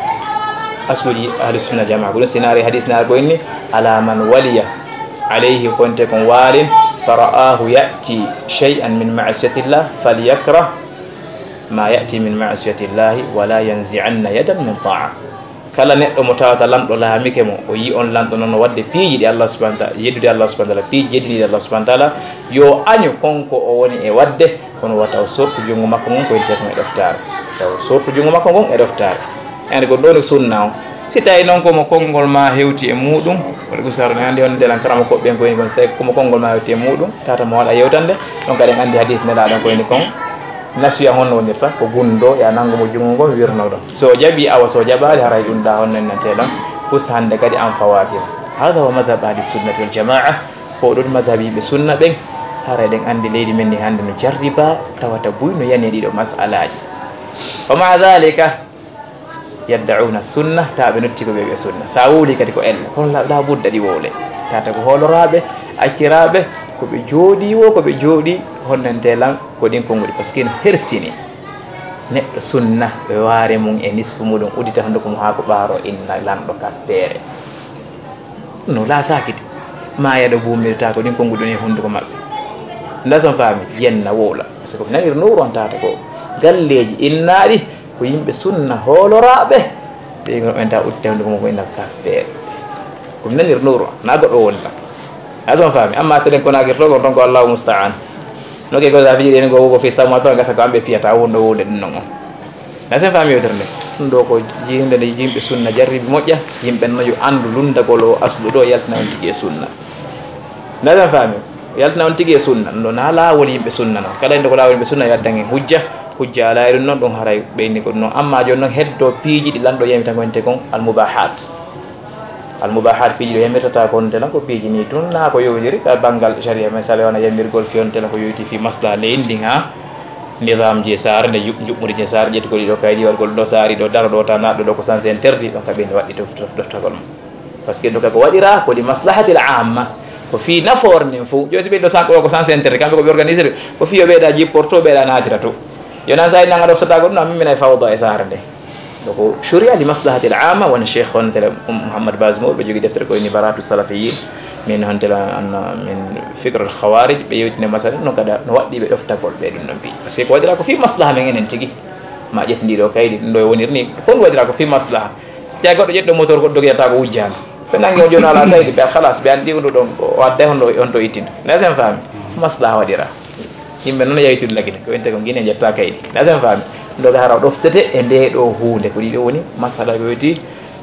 Asuli ahli sunna jama ko ɗum sinari hadis nar ko inni ala man waliya alayhi konte kon waalin. Fara'ahu ya'ti shay'an min ma'siyatillah falyakrah ma ya'ti min ma'siyatillahi wala yanzi'anna yadan min ta'a. Kala neɗɗo mo tawata lanɗo laamike mo o yi on lanɗo noon no waɗde piiji ɗi allah subahana taala yeddude allah subahana taala piiji yeddiniɗi allah subahana taala. Yo añu konko o woni e waɗde kono wata o sortu junngo makko ngon ko yettiyatum e ɗoftaare. Taw sortu junngo makko ngon e ɗoftaare. Ande ko ɗoni sunna o. Si tawi noon komo konngol ma hewti e muɗum wala usaro ne hannde on ndelan karama koɓɓen ko woni kon si tawi komo konngol ma hewti e muɗum tata mo waɗa yewtande. Ɗon kadi en anndi hadis nelaɗon ko woni kon. Nasuya honno wonirta ko gunndo ya nanngu mo junngo ngon wirno ɗon so jaɓi awa so jaɓaali haray ɗum ɗa honno en nante ɗon. Fus hannde kadi an fawatima. Hada wa madhab ahli sunnati wal jamaa. Ko ɗon madhab yimɓe sunna ɓen. Haray ɗen anndi leydi men ndi hannde no jarriba tawata buy no yani ɗiɗo masalaji. Wa ma dhalika yadda'una sunna tawa ɓe notti ko ɓe ɓe sunna sa wowli kadi ko ella kono la budda ɗi wowle. Tata ko hooloraɓe acciraɓe ko ɓe jooɗi wo ko ɓe jooɗi honnante lan ko ɗin konguɗi par ce que no hersini. Neɗɗo sunna ɓe waare mum e nisfu muɗum udita hunduko mum haa ko ɓaaro inna lanɗo kappere. No la sakiti ma yaɗo bumirta ko ɗin konguɗi ɗon e hunduko maɓɓe. Nda son faami yenna wowla par ce que ko nanir nowru on tata ko galleji innaɗi. Ko yimɓe sunna hooloraɓe. Ɓe ɓen ta utte hunde ko mo ko ina kaffeere. Ko mi nanir nowru na goɗɗo woni tan. Ason faami amma telen kona girto gon ton ko allahu musta'an. No ke gosa fiji ɗen go wogo fi samma to gasa ko amɓe piyata wonɗo wonde ɗum non on. Na sen faami yewtere nde? Ɗum ɗo ko jiyinde nde yimɓe sunna jarribi moƴƴa, yimɓe no yo anndu lunndagol o aslu ɗo yaltina on tigi e sunna. Na sen faami? Yaltina on tigi e sunna. Ɗum ɗo na laawol yimɓe sunna no. Kala inde ko laawol yimɓe sunna yo addan en hujja. Hujja alaa e ɗum noon, ɗum haray ɓeyni ko ɗum noon. Amma jooni noon heddo piiji ɗi lanɗo yamita ko ente kon al mubahat. Al mubahat piiji ɗo yamirtata ko on tela ko piiji ni tun na ko yowndiri ka banngal sharia. Misali wona yamirgol fi on tela ko yoyti fi maslaha leydi ndin ha nizamji e saare nde, yu-, njuɓɓudi e saare, ƴettu ko ɗiɗo kaydi, waɗgol ɗo saari ɗo, daro ɗo, ta naɗɗo ɗo, ko sens interdit, ɗon ka ɓe waɗi ɗo, ɗo, ɗoftagol mum. Parce que ɗo ka ko waɗira ko li maslahatil amma, ko fii nafoore nden fof. Jooni si ɓe ɗo sanko ɗo ko sens interdit, kamɓe ko ɓe organisé ɗum, ko fii yo ɓeyɗa jipporto, ɓeyɗa naatira to. Yo nan sa nanga ɗoftata ko ɗum, a mimmina e fawda e saare nde. Donc, sharia li maslahatil amma, won cheikh on tele Mouhammad Bazmour, ɓe jogii deftere ko woni Baratu Salafiyin, min hon tele an, min Fikr al Khawarij, ɓe yewtine masala, no kada, no waɗɗi ɓe ɗoftagol ɓe ɗum ɗon mbi. Parce que ko waɗira ko fii maslaha men enen tigi, ma ƴetti ndi ɗo kaydi, ɗum ɗo e wonir ni, kon waɗira ko fii maslaha. Te goɗɗo ƴetto motor goɗɗo dogiyata ko wujjaani. Ɓe nangi o jooni ala kaydi, ɓe khalas, ɓe anndi ɗum ɗon, o adday hon ɗo, hon to ittin. Ne sen faami? Maslaha waɗira. Yimɓe noon yawtude lagine, ko wiyetee ko Guinée ƴetta kaydi. Nasen faami? Ɗo ɓe hara ɗoftete e ndee ɗoo huunde. Ko ɗii ɗoo woni masala ko yowiti,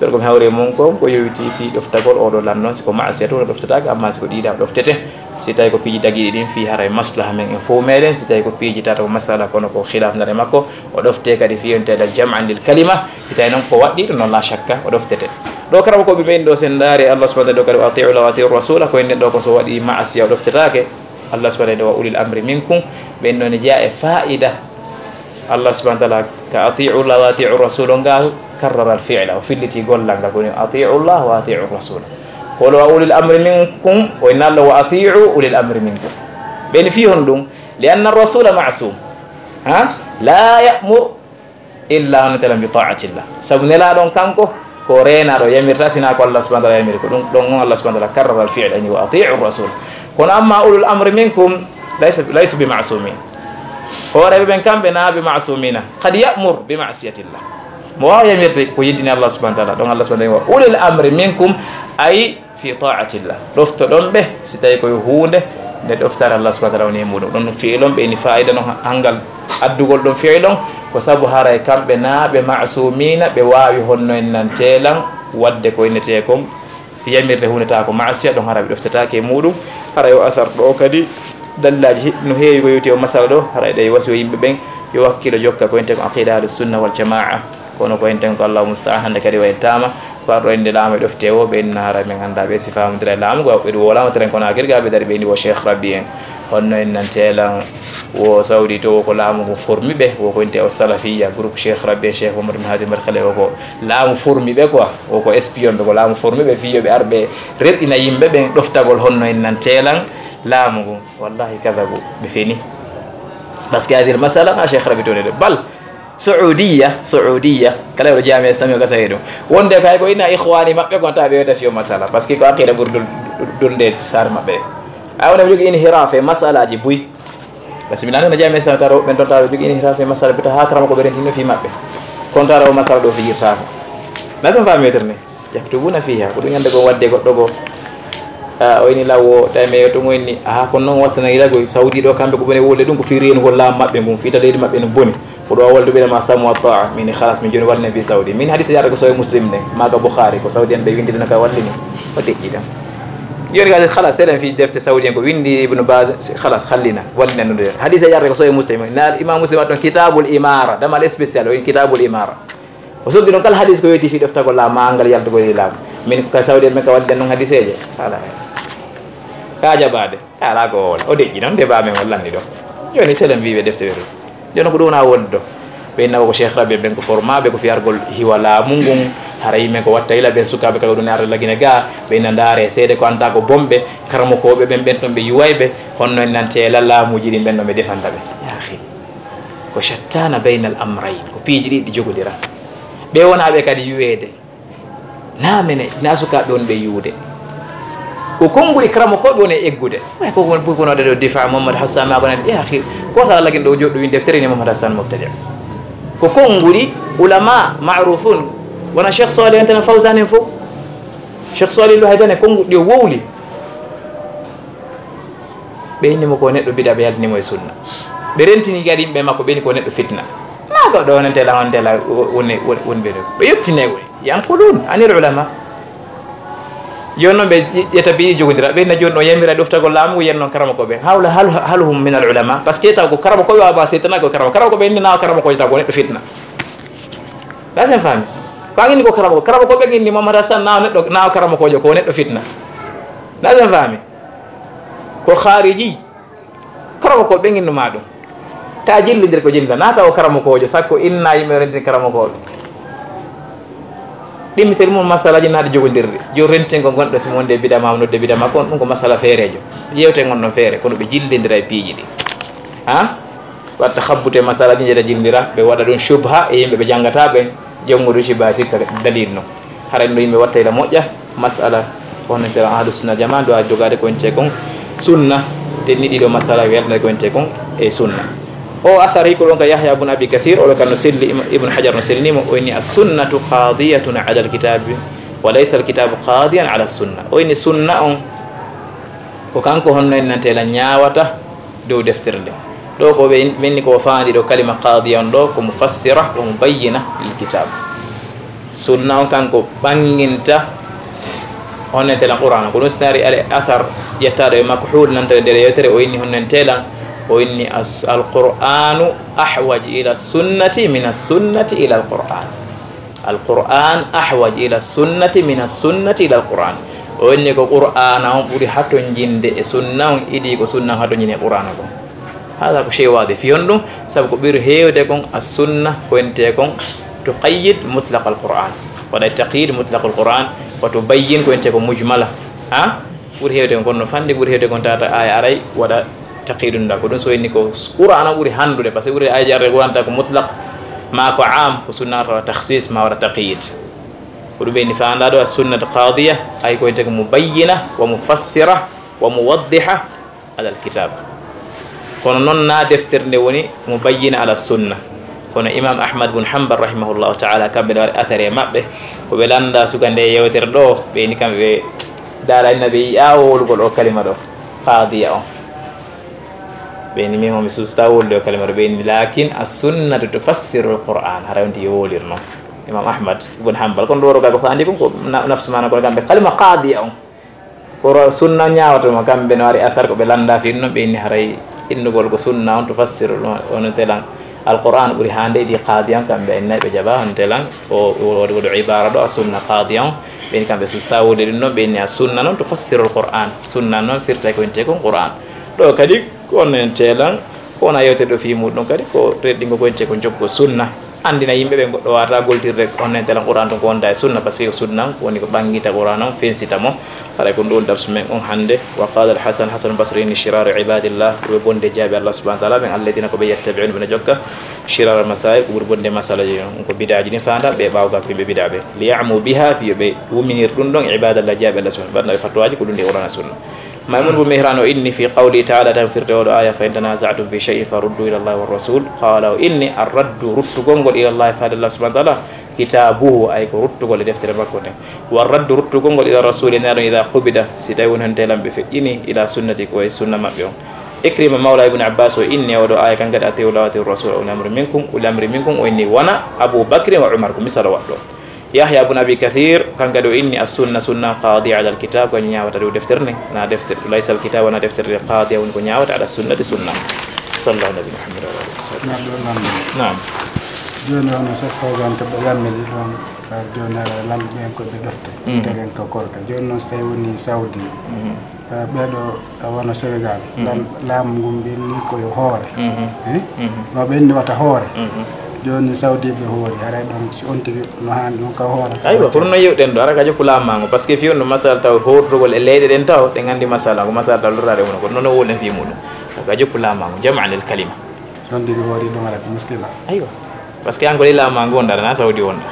ɓeɗo ko mi hawri e mum ko, ko yowiti fii ɗoftagol oo ɗoo lanno, si ko maasiya tun o ɗoftataake, amma si ko ɗiiɗaa o ɗoftete. Si tawi ko piiji dagiiɗi ɗin fii haray maslaha men en fof meɗen, si tawi ko piiji tata ko masala kono ko khilaf nder e makko, o ɗofte kadi fii on teɗa jam'an lil kalima, si tawi noon ko waɗɗiiɗo noon la shakka o ɗoftete. Ɗo karaw ko ɓe ɓeyni ɗo sen ndaari Allah subhanahu wa ta'ala kadi wa ati'u Allah wa ati'u rasula, ko en ɗo ko so waɗi maasiya o ɗoftetaake. Allah subhanahu wa ta'ala wa ulil amri minkum, ɓen ɗon ne jeyaa e faa'ida. Allah subhanahu wa ta'ala ka ati'u Allah wa ati'u rasul on ga karrara al fi'la, o filliti gollal ngal, ko woni ati'u Allah wa ati'u rasul. Ko wa ulil amri minkum, o inna Allah wa ati'u ulil amri minkum. Ɓen fi hon ɗum, li anna rasula ma'sum. Ha? La ya'mur illa hono telen bi ta'atillah. Sabu nelaaɗo on kanko, ko reenaaɗo yamirta, sinaa ko Allah subhanahu wa ta'ala yamiri. Ko ɗum ɗon on Allah subhanahu wa ta'ala karrara al fi'la, ani wa ati'u rasul. Kono amma ulul amri minkum, laysa, laysu bi ma'sumin. Hooreeɓe ɓen kamɓe na bi ma'sumina. Qad ya'mur bi ma'siyatillah. Mo waawa yamirde ko yeddini Allah subhanahu wa ta'ala. Ɗon Allah subhanahu wa ta'ala wa ulil amri minkum, ay fi ta'atillah. Ɗoftoɗon ɓe, si tawi ko yo huunde nde ɗoftare Allah subhanahu wa ta'ala woni e muɗum. Ɗon fi'ilon ɓe ini fa'ida non hangal addugol ɗon fi'ilon, ko sabu haray kamɓe na ɓe ma'sumina, ɓe waawi honno en nan teelan waɗde ko innetee kon yamirde huunde tawa ko ma'asiya, ɗon haray ɓe ɗoftataake e muɗum. Haray o asar ɗo kadi dalilaji no heewi ko yowti o masala ɗo, haray ɗe wasiyo yimɓe ɓen yo wakkilo jokka ko innetee ko aqida ahlus sunna wal jamaa. Kono ko enten ko Allahu musta'an, hannde kadi wayittaama ko arɗo inde laamu e ɗofte o, ɓe inna hara men annda ɓe si faamodira e laamu, ko ɓe ɗum wolaama teren kono akiri ga ɓe dari ɓe ni wo Cheikh Rabbi en. Honno en nan teelan wo Saudi to, wo ko laamu ngu formi ɓe, wo ko inte o Salafiyya, groupe Cheikh Rabbi en, Cheikh Mamadou Mahadir Madkhali, wo ko laamu formi ɓe quoi, wo ko espion ɓe, ko laamu formi ɓe, fii yo ɓe ar ɓe rerɗina yimɓe ɓen ɗoftagol honno en nan teelan laamu ngu. Wallahi kadabu, ɓe feni. Parce que hadil masala, ma Cheikh Rabbi to ne de. Bal, Saudiya, Saudiya, kala ɗo jami'a Islami o gasa e ɗum. Wonde kay ko ina ikhwani maɓɓe kon tawa ɓe wiyata fiyo masala. Parce que ko aqida ɓuri dul-, dul-, dulde saare maɓɓe. A wona ɓe jogii inhiraf e masalaji buy. Parce que mi nani no jami'a Islami taro ɓen ɗon tawa ɓe jogii inhiraf e masala bita ha karama ko ɓe rentino fi maɓɓe. Kon tara o masala ɗo fijirtako. Na sen faami wetere ni? Yaktubuna fiha, ko ɗum ñande goo wadde goɗɗo goo. Ah, o ini law o, tawi mi yewtu mo inni, aha, kono noon wattana gila koy, Saudi ɗo kamɓe ko ɓe woni wolde ɗum ko fii reenugol laamu maɓɓe ngun, fii ta leydi maɓɓe no boni. Ko ɗo a waldu ɓe ma samu wa ta'a, min khalas, min jooni wallina fii Saudi. Min hadisa yaata ko Sahih Muslim ne, maa ka Bukhari, ko Saudi en ɓe windi ɗum ka wallini. O deƴƴi ɗam. Jooni ka khalas, seɗen fii defte Saudi en ko windi Ibn Baz, khalas, hallina, wallina ɗum ɗo. Hadisa yaata ko Sahih Muslim, na Imam Muslim waɗi ɗon Kitabul Imara, damal spécial, o in Kitabul Imara. O soggi ɗon kala hadis ko weeti fii ɗoftagol laamu, ma angal yaltugol e laamu. Min ko ka Saudi en, min ka waɗi ɗen ɗon hadiseeje. Ala. Ka jabaade. Ala ko wala. O deƴƴi noon, de ba men wallanni ɗo. Jooni selen wiiɓe defte ɓe ɗum. Jooni ko ɗum wona wonde ɗo. Ɓe inna ko Cheikh Rabi ɓen ko formaaɓe ko fii argol hiwa laamu ngun. Hara yimɓe ko watta ila ɓen sukaaɓe kala ɗum ne arde lagine ga. Ɓe inna ndaare seede ko anta ko bomɓe. Karamokooɓe ɓen ɓen ɗon ɓe yuwayɓe. Honno en nante la laamuuji ɗin ɓen ɗon ɓe defanta ɓe. Yaa akhi. Ko shattana baynal amrayn. Ko piiji ɗiɗi ɗi jogodira. Ɓe wonaaɓe kadi yuweede. Na mene, na sukaaɓe woni ɓe yuwde. Ko konguɗi karamokooɓe woni e eggude. Way ko woni buy kono ɗo difa Mohamed Hassan ma bana ya akhi. Ko ta lagin ɗo joɗɗo win deftere ni Mohamed Hassan mubtadi. Ko konguɗi ulama ma'rufun. Wona Cheikh Salih en tan Fawzan en fof. Cheikh Salih lo haydane konguɗi o wowli. Ɓe inni mo ko neɗɗo bida, ɓe yaltini mo e sunna. Ɓe rentini kadi yimɓe makko, ɓe inni ko neɗɗo fitna. Ma Ɗo wonantela, wonantela, woni, woni, woni ɓe ɗo. Ɓe yettinay woni. Yanqulun anil ulama. Jooni noon ɓe ƴe-, ƴetta piiji jogondira. Ɓe na jooni ɗo yamira ɗoftagol laamu, yen noon karama ko ɓe. Hawla hal, hal hum min al ulama. Parce que taw ko karama ko ɓe wawa setana ko karama. Karama ko ɓe inni na karama ko taw ko neɗɗo fitna. Lasen faami. Ko an inni ko karama ko. Karama ko ɓe inni Mamadou Hassan na neɗɗo, na karama ko jo ko neɗɗo fitna. Lasen faami. Ko khariji. Karama ko ɓe innuma ɗum. Ta jillindir ko jillida. Naata o karama ko jo. Sakko inna yimɓe rentin karama ko ɓe. Ɗimmitel mum masalaji naɗi jogondirɗi. Jo rentin ko gonɗo si mo wonde bida ma, nodde bida ma, kon ɗum ko masala feerejo. Yewte ngon ɗon feere, kono ɓe jillindira e piiji ɗi. Ha? Watta habbute masalaji jeeta jillindira, ɓe waɗa ɗum shubha e yimɓe ɓe janngata ɓen, jonngudu shubha sikka dalil non. Hara no yimɓe watta ila moƴƴa, masala, on ntera ahlu sunna jama, do a jogade ko ente kon sunna, te ni ɗiɗo masala welnde ko ente kon e sunna. O athar hikko ɗon ka Yahya bun Abi Kathir, o ɗo kan no selli, Im-, Ibn Hajar no sellinimo, o inni as-sunnatu qadiyatun ala al-kitabi, wa laysa al-kitabu qadiyan ala as-sunna. O inni sunna on, ko kanko honno en nantela ñaawata dow deftere nde. Ɗo ko ɓe menni ko faandi ɗo kalima qadiya on ɗo ko mufassira wa mubayyina lil kitab. Sunna on kanko ɓanginta honno en telan Qur'ana. Ko ɗum sinari al athar yettaɗo e makhul nanta e nder yewtere o inni honno en telan, o inni as-, al Qur'anu ahwaj ila sunnati min as-sunnati ila al Qur'an. Al Qur'an ahwaj ila sunnati min as-sunnati ila al Qur'an. O inni ko Qur'ana on ɓuri hatonjinde e sunna on idi ko sunna on hatonjinde e Qur'ana kon. Hada ko shay wadi fi honɗum, sabu ko ɓuri heewde kon as-sunna ko ente kon tuqayyid mutlaq al Qur'an. Waɗa taqyid mutlaq al Qur'an, wa tubayyin ko ente ko mujmala. Ha? Ɓuri heewde kon no fandi, ɓuri heewde kon tata aya aray waɗa taqyidun da. Ko ɗum so inni ko Qur'an on ɓuri handude, parce que ɓuri aya jarre Qur'an ta ko mutlaq, ma ko am, ko sunna tawa takhsis, ma waɗa taqyid. Ko ɗum ɓe ni fanda ɗo as-sunnat qadiya, ay ko ente ko mubayyina wa mufassira wa muwaddiha ala al-kitab. Kono noon na deftere nde woni mubayyina ala sunna. Kono Imam Ahmad bun Hanbal rahimahullahu ta'ala, kamɓe no waɗi athare maɓɓe, ko ɓe landa suka nde yewtere ɗo, ɓe ni kamɓe ɓe dara inna ɓe yi'a wolugol o kalima ɗo, qadiya on. Ɓe ni min mi susta wolude o kalima ɗo, ɓe ni lakin as-sunnatu tufassiru al-Qur'an, hara on ti yo wolirno. Imam Ahmad bun Hanbal, kono ɗo woro ka ko fandi kon ko na-, nafsu mana kono kamɓe kalima qadiya on. Ko ro-, sunna ñaawata mo, kamɓe no ari asar ko ɓe lannda fi ɗum, ɓe inni haray innugol ko sunna on tufassiru ɗum, on telan Alqur'an ɓuri hande idi qadiyan, kamɓe inna ɓe jaɓa on telan o, o, o, o ibara ɗo as-sunna qadiyan, ɓe inni kamɓe susta wode ɗum ɗon, ɓe inni as-sunna noon tufassiru al-Qur'an, sunna noon firta ko inte kon Qur'an. Ɗo kadi ko on en telan, ko wona yewtere ɗo fi muɗum kadi ko reɗɗingo ko inte ko jokko sunna. Anndina yimɓe ɓe goɗɗo wata goltirde on en telan Qur'an ɗum ko wonda e sunna, parce que sunna ko woni ko ɓanngita Qur'an on, fensita mo. Haray ko ɗum darsu men on hannde. Wa qala al-Hasan, Hasan Basri ni, shiraru ibadillah, ko ɓe bonde jaaɓi Allah subhanahu wa ta'ala ɓen, alladina ko ɓe yattabi'un ɓe jokka, shirar al-masail, ko ɓuri bonde masalaji on, ko bid'aji ɗin fanda ɓe ɓawgal ko yimɓe bid'a ɓe. Li ya'mu biha, fi yo ɓe wuminir ɗum ɗon ibadallah jaaɓi Allah subhanahu wa ta'ala, ɓe fatwaji ko ɗum ɗi Qur'an e sunna. Maymun bu Mihran o inni fi qawli ta'ala, tan firte oɗo aya, fa in tanaza'tum fi shay'in faruddu ila Allah wa rasul. Qala o inni arraddu ruttugol ngol ila Allah faade Allah subhanahu wa ta'ala, kitabuhu ay ko ruttugol e deftere makko nden. Wa raddu ruttugol ngol ila rasuli naɗon ida qubida, si tawi woni hon telan ɓe feƴƴini ila sunnati ko e sunna maɓɓe on. Ikrima mawla Ibn Abbas o inni oɗo aya kan kadi ati'u Allah wa ati'u rasul wa ulil amri minkum, ulil amri minkum o inni wona Abu Bakri wa Umar ko misal o waɗɗo. Yahya bun Abi Kathir, kan kadi o inni as-sunna, sunna qadi ala al-kitab, ko ñaawata dow deftere nden, na deftere, laysa al-kitab, wona deftere nde qadi, woni ko ñaawata ala sunnati sunna. Sallallahu nabi Muhammad wa alihi wa sahbihi. Naam. Jooni hono Cheikh Fawzan ko ɓe yammiri ɗon, ka jooni ara lamɓe ɓen ko ɓe ɗofte. Mm. Nden ko korka. Jooni noon so tawi woni Saudi, mm. Eh, ɓeeɗo, eh, wano Sénégal, mhm. Lan-, laamu ngun ɓenni ko yo hoore. Mhm. Eh? Mhm. No ɓenni wata hoore. Mhm. Jooni Saudi ɓe hoori, haray ɗon si on tigi no haani ɗon ka hoore. Aywa, kono no yewɗen ɗo, ara ka jokku laamango, parce que fi on no masala taw hoortugol e leyɗe ɗen taw, ɗen anndi masala, ko masala taw lorraade mum, kono noon o woɗen fi muɗum. Ka jokku laamango, jam'an lil kalima. Si on tigi hoori ɗum ara ko muskila. Aywa. Parce que an ko lila ma ngonɗa, na Saudi wonɗa.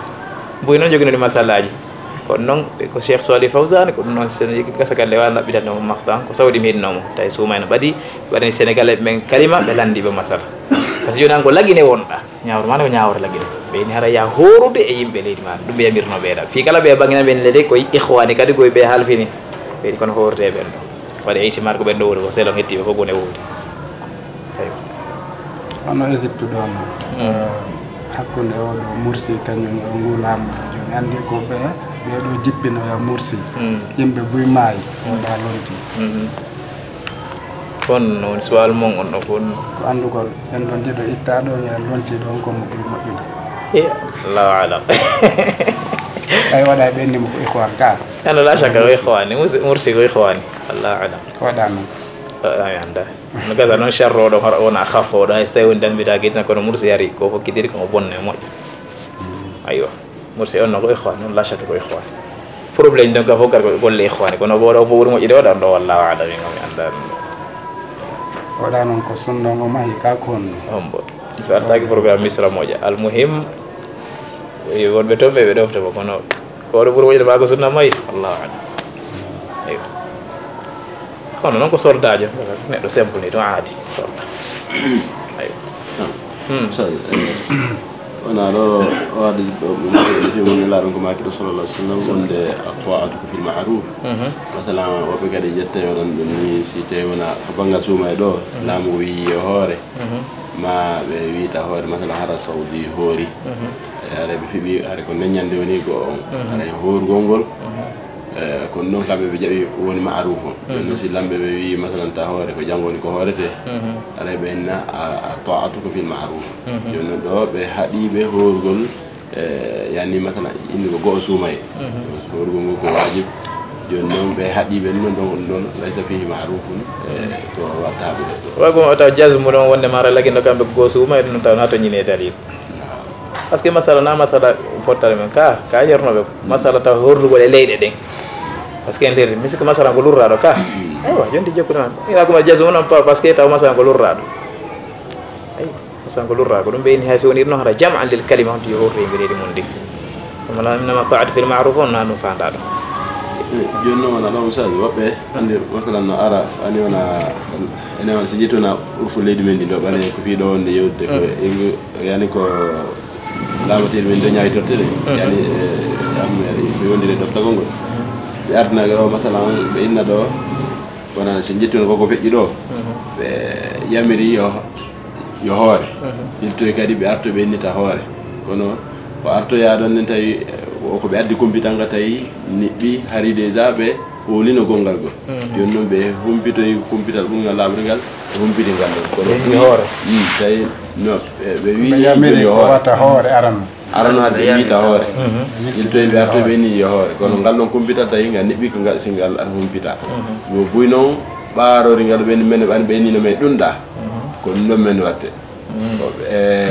Mbuy noon joginooɗi masalaji. Kono noon, ɓe ko Cheikh Salih Fawzan, ko ɗum noon, so en yekki gasa galle, wa naɓɓitan ɗum maktan, ko Saudi mi heɗinoo mo. Tawi suuma ene ɓadi, waɗani Sénégalais ɓe men kalima, ɓe lanndi ɓe masala. Parce que jooni an ko Lagine wonɗa, ñaawre ma ne ko ñaawre Lagine. Ɓe ni hara ya hoorude e yimɓe leydi ma, ɗum ɓe yamirno ɓeeɗa. Fii kala ɓe bangina ɓen leydi, ko ikhwani kadi, ko ɓe halfini. Ɓe ni kono hoorete ɓen ɗo. Waɗi ihtimal ko ɓen ɗo woni ko selon hetti ɓe fof gone woodi. Eywa. Hono Égypte ɗon, mm. Eh, Hakkunde oo ɗoo Mursi kañum e o nguu laamu ɗoo, jooni anndi ko ɓe, ɓee ɗoo jippinoya Mursi. Mm. Yimɓe buy maayi, o ɗaa lonti. Mhm. Kono noon suwal mon on ɗo kon. Ko anndugol, en ɗon ɗiɗo ittaa ɗon e lonti ɗon ko mo ɓuri moƴƴude. Eh, Allahu alam. Ɓay waɗa ɓe anndi mo ko ikhwan ka. Ano la shakka ko Mursi. Ikhwani, Mursi, Mursi ko ikhwani. Allahu alam. Waɗa noon. Ah, mi annda. No gasa noon sharro ɗo hoto wona khafo ɗo hay so tawi woni dambita gitna kono Mursi ari ko fokkitiri ko bonne moƴƴo. Aywa. Mursi on no ko ikhwan, non la shakka ko ikhwan. Problème ɗon ka fof gar ko golle ikhwani kono bo ɗo bo ɓuri moƴƴude waɗa on ɗo wallahu alam en mi annda ɗum. Waɗa noon ko sunna o mahi ka ko honno? Hombo. Mi artaaki programme Misra moƴƴa. Al muhim, wonɓe toon ɓe ɓe ɗofta mo kono ko oɗo ɓuri moƴƴude maa ko sunna mahi. Allahu alam. Aywa. Kono noon ko soldaajo, neɗɗo simple ni ɗum aadi, soldat. Aywa. Hmm. So, eh, wona ɗo o addi ɗo ɗum ɗo ɗum ɗum laaɗum ko maaki ɗo sallallahu alaihi wasallam wonde at-ta'atu fil ma'ruf. Mhm. Masalan, woɓɓe kadi ƴetta yo ɗon ɗum ni si tawi wona ko banngal suuma e ɗo, laamu o wiyi yo hoore. Mhm. Ma ɓe wiita hoore, masalan, hara Saudi hoori. Mhm. E, hara ɓe fiɓi, hara ko neññande woni ko on. Mhm. Hara e hoorugol ngol. Mhm. E, kono noon kamɓe ɓe jaɓi woni ma'ruf on. Mhm. Jooni noon si lamɓe ɓe wiyi, masalan, ta hoore ko janngo woni ko hoorete. Mhm. Hara ɓe inna a, a ta'atu ko fil ma'ruf. Mhm. Jooni noon ɗo ɓe haɗi ɓe hoorugol, e, yani, masalan, indi ko go'o suumaye. Mhm. Hoorugol ngol ko waajib. Jooni noon ɓe haɗi ɓe noon ɗon, on ɗon, laysa fihi ma'rufun, e, ko watta ɓe. Wa ko wata jazmu ɗon wonde mara lagino kamɓe ko go'o suumaye ɗum taw na to ñine dalil. Parce que masala na masala fottare men ka, ka yernoɓe masala taw horlugol e leyɗe ɗen. Parce que en leri, mi sikka masala ko lurraɗo ka. Aywa, jonti jokkude ma. Ina kuma jazmu non pa, parce que taw masala ko lurraɗo. Aywa, masala ko lurraɗo. Ko ɗum ɓe inni hay so woni noon hara jam'an lil kalima on to yo horto e mbiɗeɗi mum ndi. Ɗum wona innama ta'atu fil ma'ruf on na ɗum fandaɗo. Jooni noon wona ɗo misali woɓɓe anndi masalan no ara ani wona ene wona so ƴettuna urfu leydi men ndi ɗo ɓane ko fii ɗo wonde yewtude ko engu yani ko laabateeri men dañaawi tottere. Yani e am ko yondiri e doftagol ngol ɓe ardinaaɓe ɗo masalan ɓe inna ɗo wona so ƴettuna koko feƴƴi ɗo ɓe yamiri yo yo hoore. Iltoy kadi ɓe arto ɓe innita hoore kono ko artoyaa ɗon nen tawi ko ɓe addi kumpital ngal tawi niɓɓi hari déjà ɓe hoolino gonngal gol. Jooni noon ɓe humpitoy kumpital ɓurngal laaɓri ngal ɓe humpiti ngal ɗon kono ɓuri hoore tawi no ɓe wii yamiri ko wata hoore arano arano hade ɓe wiita hoore. Iltoy ɓe artoy ɓe ni yo hoore kono ngal ɗon kumpital tawi ngal niɓɓi ko ngal si ngal humpita no buy noon ɓaarori ngal ɓe ni men ɓan ɓe ni no men ɗunɗa ko ɗum ɗon men watte. E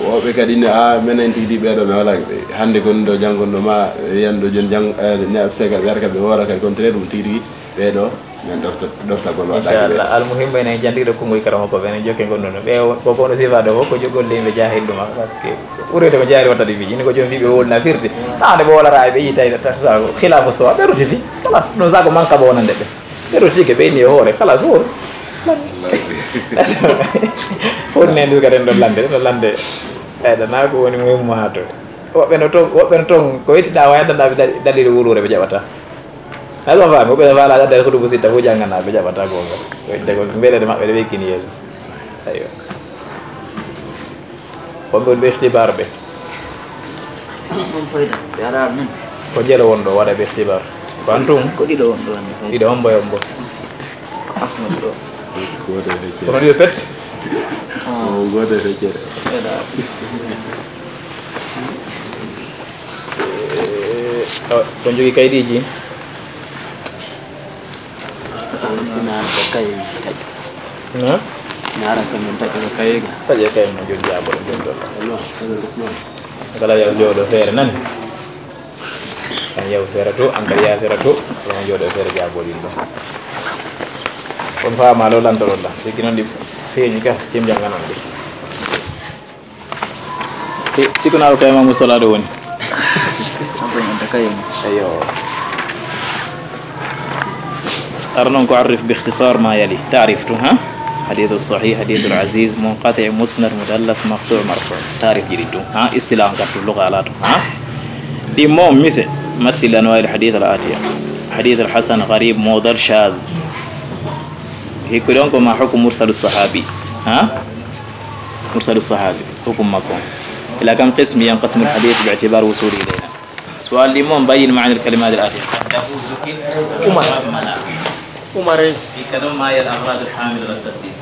woɓɓe kadi ne a menen tigi tigi ɓeeɗo mi wala hannde gonɗo janngonɗo ma wiyanɗo joni jang ne absega ɓe arka ɓe woora kadi contraire ɗum tigi tigi ɓeeɗo men ɗofta ɗoftagol waɗaki ɓe. Inchallah almuhimmu enen jantiɗo konngol karama ko ɓen jokke gonɗo no ɓe ko kono sifa ɗo fof ko jogol leyɓe jahil ɗuma parce que ɓurede ko jahil wattade fiji ni ko joom fiɓe wolna firde taade ɓe wolata e ɓe yitay tata khilafu sowa ɓe rutiti kala ɗum sa ko manka ɓe wonande ɓe. Ɓe rotike ɓe inni e hoore kala so won. Won ne ndu kadi ɗo lande ɗo lande. Eɗa na ko woni muhimmu ha to woɓɓe no toon woɓɓe no toon ko yettiɗa wayata nda dalil wuluure ɓe jaɓata. Hay ɗon faami woɓɓe no faala adda ko ɗum sitta fof janngana ɓe jaɓata gonga. Wayde ko mbeɗe maɓɓe ɗe ɓe kini yeeso. Aywa. Wonɓe woni ɓe ikhtibar ɓe. Ɗum fayda ɓe ara min. Ko jelo won ɗo waɗa ɓe ikhtibar. Ko an tun. Ko ɗiɗo won ɗo hannde fayda. Ɗiɗo hombo e hombo. Ahmad ɗo. Goto e feccere. Kono ɗiɗo pet. Goto e feccere. Ko jogii kaydiiji. Sina ko kayen taƴi. Na? Nara ko min taƴi ko kayen. Taƴe kayen no joggi abol joggi. Kala yaw jooɗo feere nani. An yaw feere to an kadi yaw feere to. Kala mo jooɗo feere jaabol yimɓe. On faama lo lantoro la. Sigi non di feeñi ka cim janganon di. Siko naaro kay mamu salaade woni. Ayo. Ara noon ko arif bi ikhtisar ma yali taarif tun ha. Hadithu sahih hadithu aziz munqati musnad mudallas maqtu marfu taarif jiri tun ha istilah on kattu luga ala tun ha. Ɗi mo mise mathil anwa al hadith al atiya. Hadith al hasan gharib mudal shadh. Hikko ɗon ko ma hukm mursal sahabi ha. Mursalu sahabi hukum makko on. إلى كم قسم ينقسم الحديث باعتبار وصوله إلينا؟ سؤال لمن بين معنى الكلمات الآتية. قد تفوز كلمة عمر. عمر. في كلام ما هي الأغراض الحاملة للتقديس؟